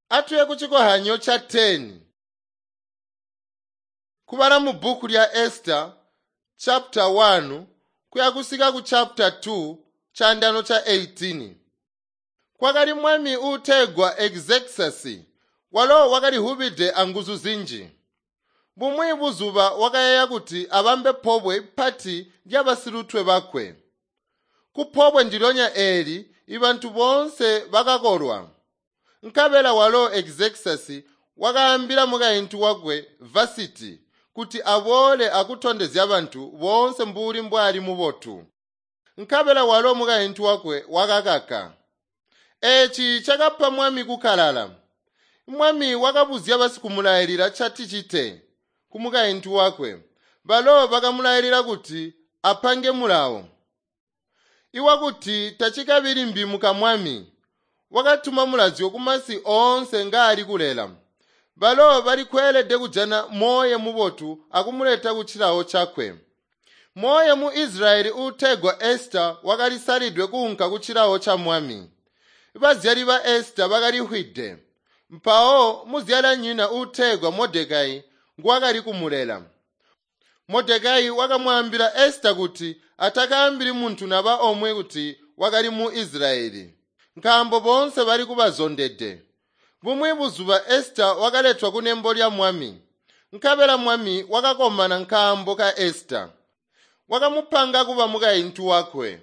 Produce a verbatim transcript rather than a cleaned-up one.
Atuye kucikohanyo ca ten. Kubala mu bhuku lya Esther chapter one kuya kusika ku chapter two chandano cha eighteen. Kwakali mwami uutegwa Xerxes walo wakalihubide anguzu zinji. Bumwi buzuba wakayeeya kuti abambe pobwe pati lyabasilutwe bakwe. Kupobwe ndilyonya eeli ibantu boonse bakakolwa. Nkabela walo Xerxes wakaambila mukaintu wakwe Vasiti kuti aboole akutondezya bantu boonse mbuli mbwali mubotu. Nkabela walo mukaintu wakwe wakakaka. Eeci cakapa mwami kukalala. Mwami wakabuzya basikumulailila caticite kumukaintu wakwe. Balo bakamulailila kuti apange mulawo iwakuti tacikabi limbi mukamwami. Wakatuma mulazyo kumasi oonse ngaali kulela. Balo bali kweelede kujana moyo mubotu akumuleta kucilawo cakwe. Moyo mu Israyeli uutegwa Esther wakalisalidwe kuunka kucilawo ca mwami. Bazyali ba Esther bakalihwide. Mpawo muzyalanyina uutegwa Mordecai nguwakali kumulela. Mordecai wakamwaambila Esther kuti atakaambili muntu naba omwe kuti wakali mu Israyeli, nkaambo boonse bali kubazondede. Bumwi buzuba Esther wakaletwa kunembo lya mwami. Nkabela mwami wakakomana nkaambo ka Esther. Wakamupanga kuba mukaintu wakwe.